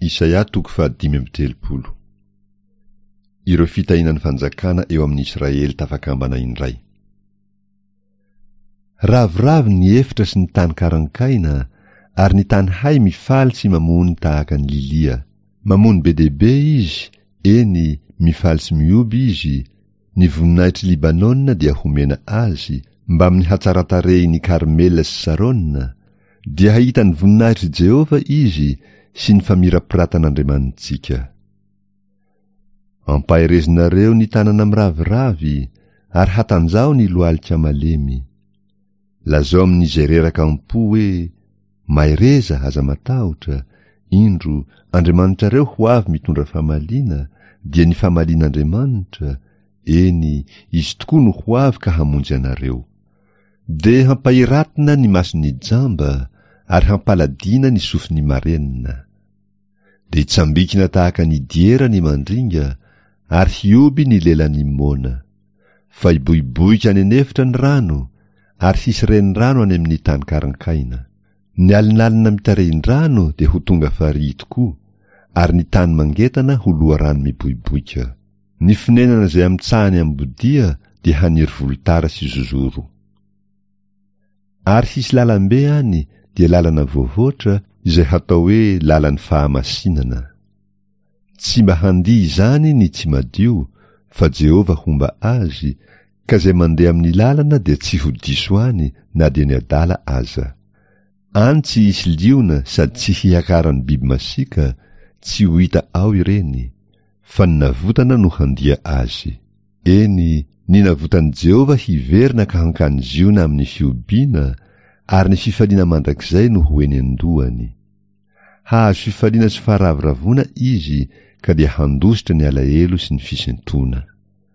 Isaia toko fahadimy amby 30. Ireo fitahiana ny fanjakana eo amin'i Israely tafakambana indray. Ravoravo ny efitra sy ny tany karankaina, ary ny tany hay mifaly sy mamony tahaka ny lilia. Mamony be dia be izy, eny, mifaly sy mihoby izy, ny voninahitr'i Libanona dia homena azy, mbamin'ny hatsaran-tarehin'i Karmela sy Sarona, dia hahita ny voninahitr'i Jehovah izy sy ny famirapiratan'Andriamanitsika. Ampaherezinareo ny tanana miraviravy, ary hatanjaho ny lohalika malemy. Lazao amin'izay reraka am-po hoe, Mahereza, aza matahotra, indro, Andriamanitrareo ho avy mitondra famaliana, dia ny famalian'Andriamanitra, eny, Izy tokoa no ho avy ka hamonjy anareo. Dia hampahiratina ny mason'ny jamba, ary hampaladiana ny sofin'ny marenina. Dia hitsambikina tahaka ny diera ny mandringa, ary hihoby ny lelan'ny moana. Fa hiboiboika any an'efitra ny rano, ary hisy renirano any amin'ny tany karankaina. Ny alinalina mitarehin-drano dia ho tonga farihy tokoa, ary ny tany mangetana ho loharano miboiboika. Ny fonenana izay amin-tsahany ambodia dia haniry volotara sy zozoro. Ary hisy lalambe any, dia lalana voavoatra, izay hatao hoe lalan'ny fahamasinana. Tsy mba handia izany ny tsy madio, fa Jehovah homba azy, ka izay mandeha amin'ny lalana dia tsy ho diso any na dia ny adala aza. Any tsy hisy liona sady tsy hiakaran'ny biby masiaka, tsy ho hita ao ireny, fa ny navotana no handia azy. Eny, ny navotan'i Jehovah hiverina ka hankany Ziona amin'ny fihobiana, ary ny fifaliana mandrakizay no ho eny an-dohany. Hahazo fifaliana sy faharavoravoana izy ka dia handositra ny alahelo sy ny fisentoana.